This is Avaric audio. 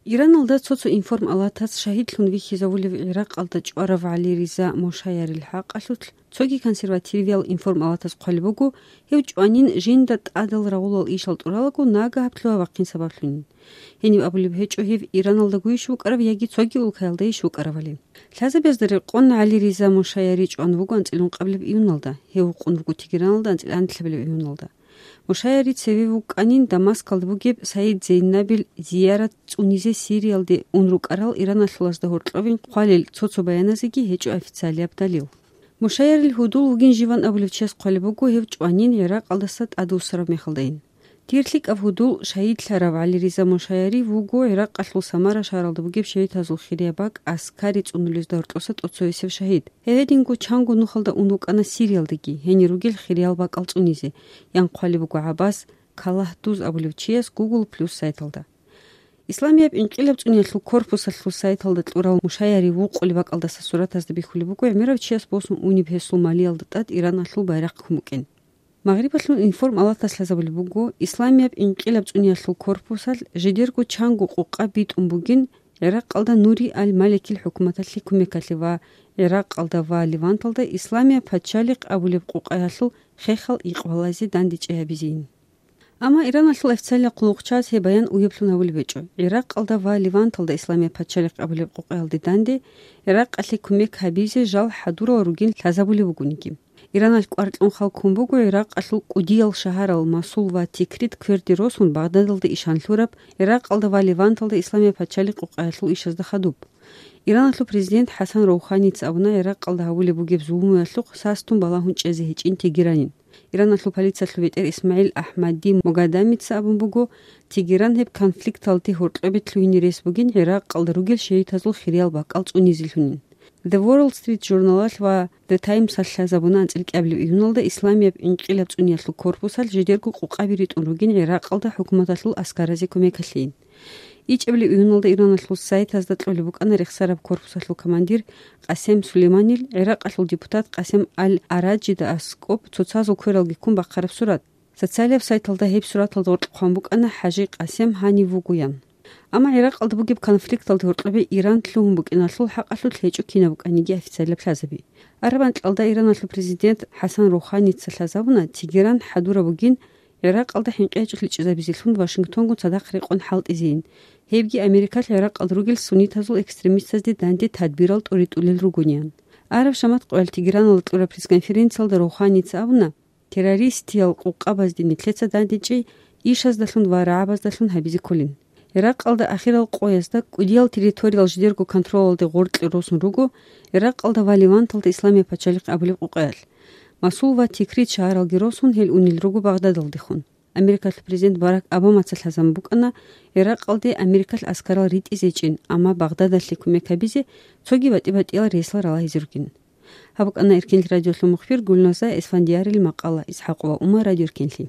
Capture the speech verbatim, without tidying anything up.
Ираналда цо-цо информалатас шагьидлъун вихьизавулев ГӀиракъалда чӀварав ГӀали Риза Мошаярил хӀакъалъулъ цоги консервативиял информалатас хъвалеб буго, гьев чӀванин жинда тӀадал рагъулал ишал тӀуралаго нагагь гьаб лъугьа-вахъин сабаблъунин. Гьениб абулеб гьечӀо гьев Ираналда гуйищ вукӀарав яги цоги улкаялдайищ вукӀаравали. Лъазабазда рекъон ГӀали Риза Мошаяри чӀван вуго анцӀила ункъабилеб июналда, гьев вукъун вуго Тегераналда анцӀила анлъабилеб июналда. Мошаяри цеве вукӀанин Дамаскалда бугеб Саид Зейнабил зиярат цӀунизе Сириялде ун рукӀарал ираналъулазда гьоркьовин хъвалел цо-цо баяназеги гьечӀо официалияб далил. Мошаярил гьудул вугин живан абулев чияс хъвалеб буго, гьев чӀванин ГӀиракъалдаса тӀадвуссараб мехалдайин. Дир лъикӀаб гьудул шагьидлъарав ГӀали Риза Мошаяри вуго ГӀиракъалъул Самара шагьаралда бугеб шагьидазул хирияб бакӀ аскари цӀунулезда гьоркьоса тӀоцевесев шагьид. Гьев гьединго чанго нухалда ун вукӀана Сириялдаги, гьенир ругел хириял бакӀал цӀунизе, ян хъвалеб буго ГӀаббас Каллагьдуз абулев чияс Google Plus сайталда. Исламияб инкъилаб цӀуниялъул корпусалъул сайталда кьурал Мошаяри вукъулеб бакӀалдаса суратазда бихьулеб буго гӀемерав чияс босун унеб гьесул малиялда тӀад Ираналъул байрахъ ккун букӀин. Магърибалъул информалатас лъазабулеб буго, Исламияб инкъилаб цӀуниялъул корпусалъ жидерго чанго къукъа битӀун бугин ГӀиракъалда Нури аль-Маликил хӀукуматалъе кумекалъе ва ГӀиракъалда ва Леванталда Исламияб пачалихъ абулеб къукъаялъул хехал икъбалазе дандечӀей гьабизейин. Амма Ираналъул официалияб хъулухъчияс гьеб баян уяблъун гьабулеб гьечӀо. ГӀиракъалда ва Леванталда Исламияб пачалихъ абулеб къукъаялде данде ГӀиракъалъе кумек гьабизе жал хӀадурал ругин лъазабулеб бугониги. Ираналъ кӀвар кьун хал ккун буго ГӀиракъалъул кӀудиял шагьарал Масул ва Тикрит кверде росун Багъдадалда ишан лъураб, ГӀиракъалда ва Леванталда Исламияб пачалихъ къукъаялъул ишазда хадуб. Ираналъул президент ХӀасан Роуханица абуна ГӀиракъалда гьабулеб бугеб зулмуялъухъ састун балагьун чӀезе гьечӀин Тегеранин. Иранлъул полициялъул бетӀер ИсмагӀил АхӀмади Могадамица абун буго, Тегеран гьеб конфликталде гьоркьобе лъугьине рес бугин ГӀиракъалда ругел шагьидазул хириял бакӀал цӀунизелъунин. The Wall Street журналалъ ва The Times-алъ лъазабуна анцӀила кӀиабилеб июналда Исламияб инкъилаб цӀуниялъул корпусалъ жидерго къукъаби ритӀун ругин ГӀиракъалда хӀукуматалъул аскаразе кумекалъейин. ИчӀабилеб июналда Иранлъул сайтазда кьолеб букӀана рехсараб корпусалъул командир Къасем Сулейманил ГӀиракъалъул депутат Къасем аль-Араджида аскӀоб цоцазул квералги ккун бахъараб сурат. Социалияб сайталда гьеб сураталда гъоркь хъван букӀана ХӀажи Къасем гьанив вугоян. Амма ГӀиракъалда бугеб конфликталда гьоркьобе Иран лъугьун букӀиналъул хӀакъалъулъ гьечӀо кинаб букӀаниги официалияб лъазаби. Араб анкьалда Иранлъул президент ХӀасан Роуханица лъазабуна Тегеран хӀадураб бугин ГӀиракъалда хӀинкъи гьечӀолъи чӀезабизелъун Вашингтонгун цадахъ рекъон хӀалтӀизейин, гьебги Америкалъ ГӀиракъалда ругел суннитазул экстремистазде данде тадбирал тӀуритӀулел ругониан. Араб шамат къоялъ Тегераналда кьураб пресс-конференциялда Роуханица абуна, террористиял къукъабазде нилъеца дандечӀей ишаздалъун ва рагӀабаздалъун гьабизе кколин. ГӀиракъалда ахирал къоязда кӀудиял территориял жидерго контролалде гъоркье росун руго ГӀиракъалда ва Леванталда Исламияб пачалихъ абулеб къукъаялъ. Масул ва Тикрит шагьаралги росун гьел унел руго Багъдадалдехун. Америкалъул президент Барак Обамаца лъазабун букӀана ГӀиракъалде Америкалъ аскарал ритӀизечӀин, амма Багъдадалъе кумек гьабизе цоги батӀи-батӀиял рейсал ралагьизе ругин. Гьаб букӀана Эркенлъи радиолъул мухбир Гулназа Эсфандиярил макъала. ИсхӀакъова Умар, Радио Эркенлъи.